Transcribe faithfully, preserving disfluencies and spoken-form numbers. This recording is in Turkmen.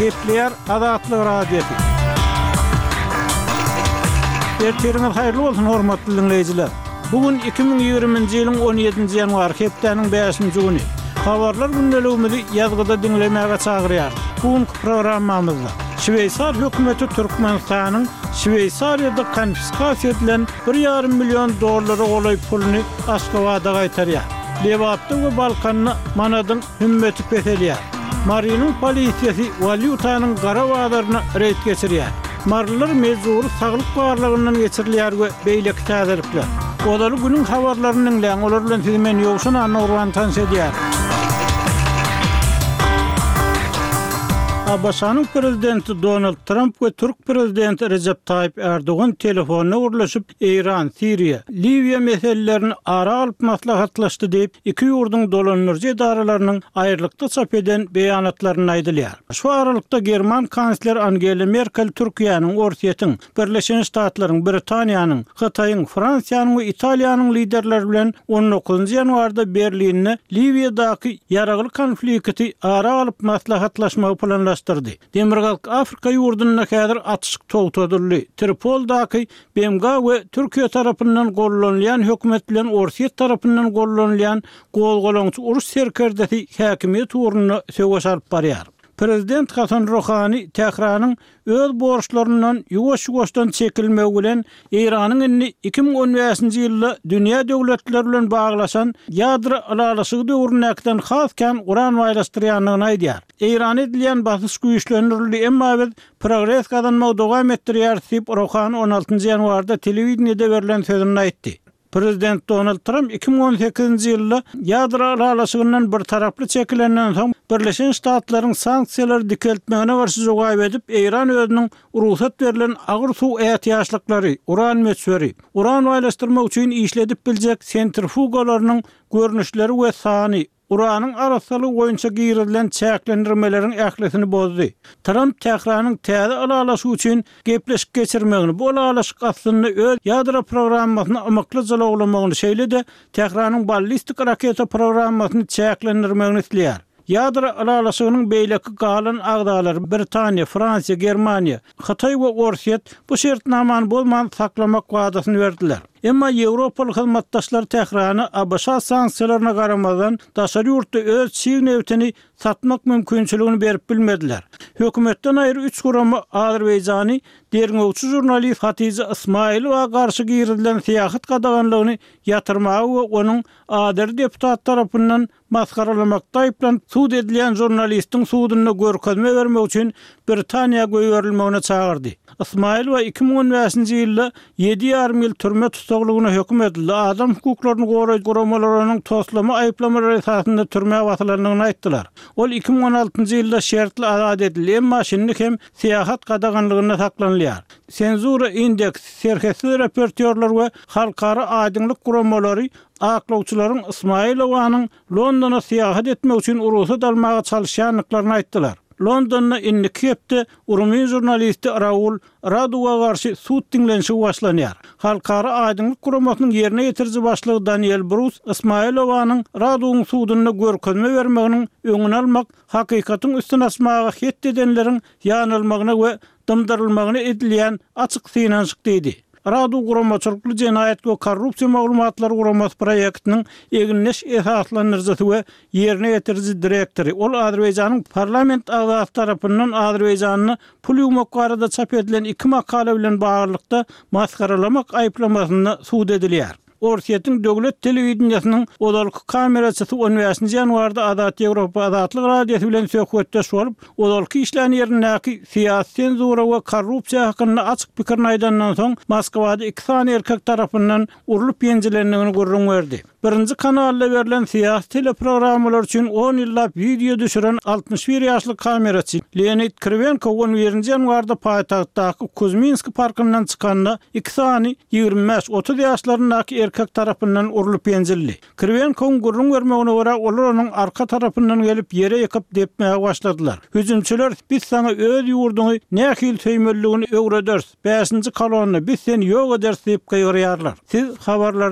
Gepleýär Azatlyk Radiosy. Ertiriňiz haýyrly bolsun, hormatly diňleýjiler. Bu gün iki müň ýigriminji ýylyň on ýedinji ýanwary, hepdäniň bäşinji güni. Habarlar gündeligimizi ýazgyda diňlemäge çagyrýarys. Bu günki programmamyzda Şweýsar hökümeti Türkmenistanyň Şweýsariýada konfiskasiýa edilen bir ýarym million dollara golaý puluny Aşgabada gaýtarýar. Lebapda we Balkanda manadyň hümmeti peselýär. Marynyň polisiýasy walýutanyň gara bazaryna reýd geçirýär. Marylylar mejbury saglyk barlagyndan geçirilýär we beýleki täzelikler. Ozaly günüň habarlaryny diňläň, olar bilen sizi men Ýowşan Annagurban tanyş edýärin. ABŞ-nyň prezidenti Donald Tramp we türk prezidenti Rejep Taýyp Erdogan telefonda gürleşip, Eýran, Siriýa, Liwiýa meselelerini ara alyp maslahatlaşdy diýip, iki ýurduň dolandyryjy edaralarynyň aýrylykda çap eden beýanatlarynda aýdylýar. Şu aralykda german kansleri Angela Merkel Türkiýäniň, Orsýetiň, Birleşen Ştatlaryň, Britaniýanyň, Hytaýyň, Fransiýanyň we Italiýanyň liderleri bilen on dokuzynjy ýanwarda Berlinde Liwiýadaky ýaragly konflikti ara alyp maslahatlaşmagy planlaşdyrdy. Demirgazyk Afrika ýurdunda häzir atyşyk togtadyldy. Tripoldaky B M G we Türkiýe tarapyndan gollanylýan hökümet bilen Orsýet tarapyndan gollanylýan gozgalaňçy uruş serkerdesi häkimiýet ugrunda söweş alyp barýar. Prezident Hasan Ruhani Tähranyň öz borçlaryndan ýuwaş-ýuwaşdan çekilmegi bilen Eýranyň indi iki müň on bäşinji ýylda dünýä döwletleri bilen baglaşan ýadro ylalaşygy döwründäkiden has kän uran baýlaşdyrýandygyny aýdýar. Eýrana edilýän basyş güýçlendirildi, emma biz progres gazanmagy dowam etdirýäris diýip Ruhani on altynjy ýanwarda telewideniýede berlen sözünde aýtdy. Prezident Donald Tramp iki müň on sekizinji ýylda ýadro ylalaşygyndan bir taraply çekilenden soň Birleşen Ştatlaryň sanksiýalary dikeltmegine garşy jogap edip, Eýran özüniň rugsat berlen agyr suw ätiýaçlyklary, uran möçberi, uran baýlaşdyrmak üçin işledip biljek sentrifugalarynyň görnüşleri we sany, uranyň arassalygy boýunça girizilen çäklendirmeleriň ählisini bozdy. Tramp Tähranyň täze ylalaşygy üçin gepleşik geçirmegini, bu ylalaşyk aslynda öz ýadro programmasyny ymykly jylawlamagyny, şeýle-de Tähranyň ballistik raketa programmasyny çäklendirmegini isleýär. Ýadro ylalaşygynyň beýleki galan agzalary Britaniýa, Fransiýa, Germaniýa, Hytaý we Orsýet bu şertnamany bozman saklamak wadasyny berdiler. Emma Ýewropaly hyzmatdaşlar Tährana A B Ş sanksiýalaryna garamazdan daşary ýurtda öz çig nebitini satmak mümkinçiligini berip bilmediler. Hökümetden aýry üç gurama Azerbaýjany derňewçi žurnalist Hatija Ismailowa garşy girizilen syýahat gadaganlygyny ýatyrmagy we onuň Azeri deputat tarapyndan masgaralamakda aýyplanyp sud edilýän žurnalistiň sudunda görkezme bermek üçin Britaniýa goýberilmegine çagyrdy. Ismailowa iki müň on bäşinji ýylda ýedi ýarym ýyl türme tussaglygyna höküm edildi. Adam hukuklaryny goraýjy guramalarynyň toslama aýyplamalary esasynda türmä basylandygyny aýtdylar. Ol iki müň on altynjy ýylda şertli azat edildi, emma şindi hem syýahat gadaganlygynda saklanylýar. Senzura indeks, serhetsiz reportýorlar we halkara aýdyňlyk guramalary aklawçylaryň Ismailowanyň Londona syýahat etmek üçin rugsat almaga çalyşýandyklaryny aýtdylar. Londonda indiki hepde rumyn žurnalisti Raul Raduwa garşy sud diňlenişigi başlanýar. Halkara aýdyňlyk guramasynyň ýerine ýetiriji başlygy Daniel Brus Ismailowanyň Raduwyň sudunda görkezme bermeginiň öňüni almak, hakykatyň üstüne açmaga het edenleriň ýanylmagyna we dymdyrylmagyna edilýän açyk synanyşyk diýdi. Radu guramaçylykly jenaýat we korrupsiýa maglumatlary guramasy proýektiniň egindeş esaslandyryjysy we ýerine ýetiriji direktory. Ol Azerbaýjanyň parlament agzasy tarapyndan Azerbaýjanda pul ýuwmak barada çap edilen iki makala bilen baglylykda masgaralamak aýyplamasynda sud edilýär. Orsýetiň döwlet telewideniýesiniň ozalky kameraçysy on bäşinji ýanwarda Azat Ýewropa Azatlyk Radiosy bilen söhbetdeş bolup, ozalky işlän ýerindäki syýasy senzura we korrupsiýa hakynda açyk pikirini aýdandan soň Moskwada iki sany erkek tarapyndan urlup ýenjilendigini gürrüň berdi. Birinji kanalda berlen syýasy teleprogrammalar üçin on ýyllap wideo düşüren altmyş bir ýaşly kameraçy Leonid Kriwenko on birinji ýanwarda paýtagtdaky Kuzminski parkyndan çykanda iki sany ýigrimi bäş otuz ýaşlaryndaky erkek tarapyndan urlup ýenjildi. Kriwenkowyň gürrüň bermegine görä, olar onuň arka tarapyndan gelip ýere ýykyp depmäge başladylar. Hüjümçiler biz saňa öz ýurduňy nähili söýmelidigini öwrederis, bäşinji kolonna biz seni ýok ederis diýip gygyrýarlar. Siz habarlar